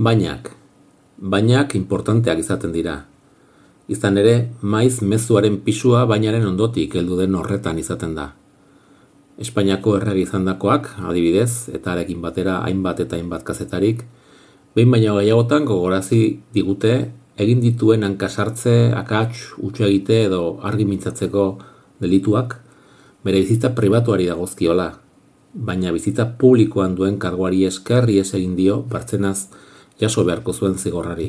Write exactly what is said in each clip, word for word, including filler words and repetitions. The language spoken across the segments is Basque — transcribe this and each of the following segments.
Bainak. Bainak importanteak izaten dira. Izan ere, maiz mezuaren pisua bainaren ondotik heldu den horretan izaten da. Espainiako errege izandakoak, adibidez, eta arekin batera hainbat eta hainbat kazetarik, behin baino gehiagotan gogorazi digute egin dituen hankasartze, akats, utxe egite edo argi mintzatzeko delituak bere bizitza pribatuari dagozkiola, baina bizitza publikoan duen karguari esker ihes egin dio bartzenaz jaso beharko zuen zigorrari.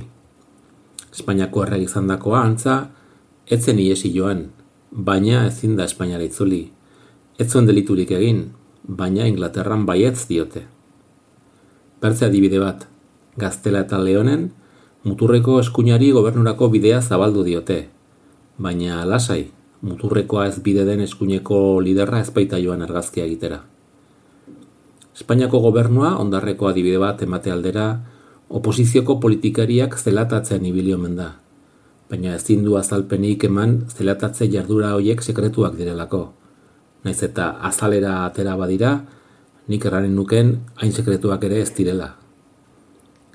Espainiako errege izandakoa antza ez zen ihesi joan, baina ezin da Espainiara itzuli. Ez zuen deliturik egin, baina Inglaterran baietz diote. Bertze adibide bat, Gaztela eta Leonen muturreko eskuinari gobernurako bidea zabaldu diote, baina lasai, muturrekoa ez bide den eskuineko liderra ez baita joan argazkia egitera. Espainiako gobernua ondarreko adibide bat emate aldera oposizioko politikariak zelatatzen ibili omen da, baina ezin du azalpenik eman zelatatze jardura horiek sekretuak direlako. Naiz eta azalera atera badira, nik erranen nuken hain sekretuak ere ez direla.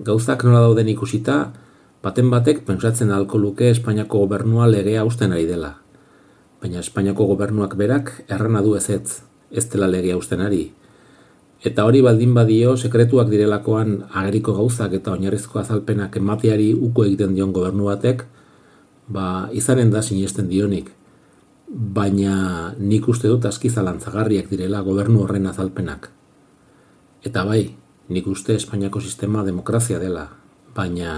Gauzak nola dauden ikusita, baten batek pentsatzen ahalko luke Espainiako gobernua legea hausten ari dela. Baina Espainiako gobernuak berak errana du ezetz, ez dela legea hausten ari. Eta hori baldin badio sekretuak direlakoan ageriko gauzak eta oinarrizko azalpenak emateari uko egiten dion gobernu batek, ba izanen da sinesten dionik. Baina nik uste dut aski zalantzagarriak direla gobernu horren azalpenak. Eta bai, nik uste Espainiako sistema demokrazia dela, baina